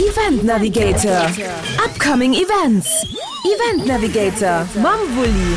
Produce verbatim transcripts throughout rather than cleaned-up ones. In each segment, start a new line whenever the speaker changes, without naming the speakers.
Event Navigator. Upcoming Events. Event Navigator mam Wulli.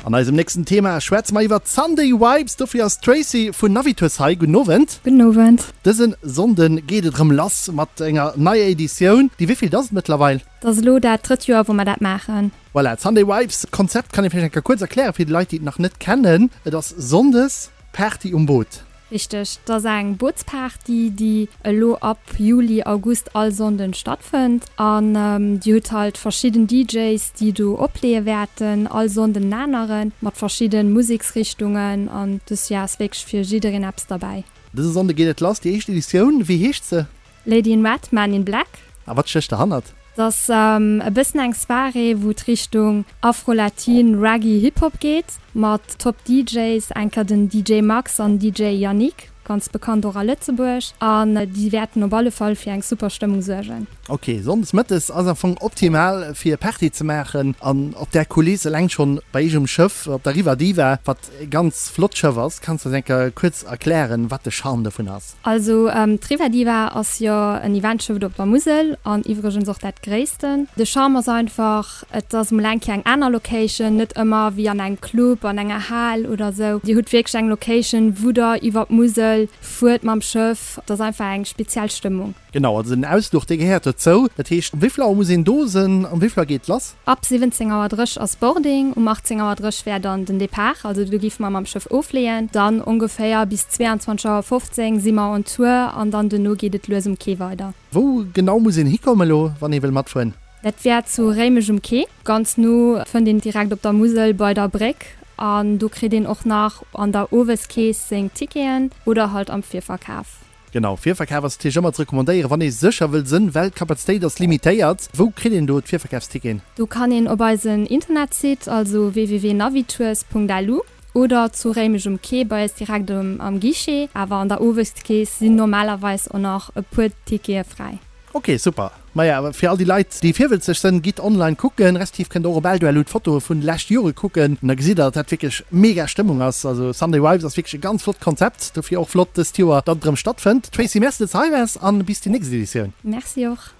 An eisem nächsten Thema schwätze mer iwwer d'Sunday Vibes. Dofir ass d'Tracy vun Navitours hei. Gudden Owend.
Gudden Owend.
Dëse Sonnde geet et erëm lass mat enger neier Editioun. Déi wéivill ass et mëttlerweil?
Dat ass elo dat drëtt Joer, wou mer dat maachen.
Voilà, d'Sunday Vibes Konzept kann ee vläicht eng Kéier kuerz erklären fir déi Leit, déi et nach net kennen. Et ass Sonndes Party um Boot.
Richteg, et ass eng Bootsparty, déi elo ab Juli, August all Sonnden stattfënnt. An Dir hutt halt verschidden DJs, déi do opleeë wäerten, all Sonnden en aneren, mat verschidde Museksrichtungen. An dës Joer ass wierklech fir jiddereen eppes derbäi.
Dëse Sonnde geet et lass, déi éischt Editioun. Wéi heescht se?
Lady in Red, Man in Black.
A wat stécht derhannert?
Et ass e bëssen eng Soirée, wou et Richtung Afro-Latin, Reggae, Hip-Hop geet, mat Top DJs, enker den DJ Max an DJ Yannick, ganz bekannt och a Lëtzebuerg, an déi wäerten op alle Fall fir eng super Stëmmung suergen.
Ok, Sonndes mëttes ass am Fong optimal fir Party ze maachen an op där Kuliss, eleng schonn bei iech um Schëff, op der Riva Diva, wat e ganz flott Schëff ass. Kanns de eis eng Kéier kuerz erklären, wat de Charme dovun ass?
Also d'Riva Diva ass jo en Eventschëff op der Musel an iwwregens och dat gréissten. De Charme ass einfach, et ass mol eng Kéier eng aner Location, net ëmmer wéi an engem Club, an enger Hal oder sou. Dir hutt wierklech eng Location, wou der iwwer d'Musel fuert mam Schëff. Et ass einfach eng speziell Stëmmung.
Genau, also den Ausfluch, dee gehéiert dozou. Dat heescht, um wéi vill Auer muss een do sinn? Um wéi vill Auer geet et lass?
Ab siwwenzéng Auer drësseg ass Boarding, um achtzéng Auer drësseg wär dann den Depart, also do géife mer mam Schëff ofleeën. Dann ongeféier bis zweeanzwanzeg Auer fofzéng si mer on Tour an dann duerno geet et lues um Quai weider.
Wou genau muss een hikommen elo, wann ee wëll matfueren?
Dat wär zu Réimech um Quai, ganz no, fënnt een direkt op der Musel bei der Bréck. An do kritt een och nach an der Oweskeess seng Ticketen oder halt am Virverkaf.
Genau, Virverkaf ass natierlech ëmmer ze recommandéieren, wann ee sécher wëll sënn, well d'Kapazitéit ass limitéiert. Wou kritt een do d'Virverkafsticketen?
Do kann een op eisen Internetsite, also www.navitours.lu, oder zu Réimech um Quai bei eis direkt am Guichet. Awer an der Oweskeess sinn normalerweis och nach e puer Tickete fräi.
Ok, super. Maja, fir all déi Leit, déi virwëlzeg sënn, gitt online kucken, respektiv kënnt och op Eldoello d'Fotoe vun de leschte Jore kucken an da gesitt der, datt dat wierklech mega Stëmmung ass. Also Sunday Vibes ass wierklech e ganz flott Konzept, dofir och flott dëst Joer, datt et erëm stattfënnt. Tracy, Merci, datt s de hei waars an bis déi nächst Editioun.
Merci och.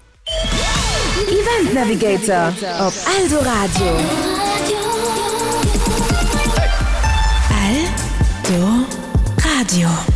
Event Navigator op Eldoradio. Eldoradio.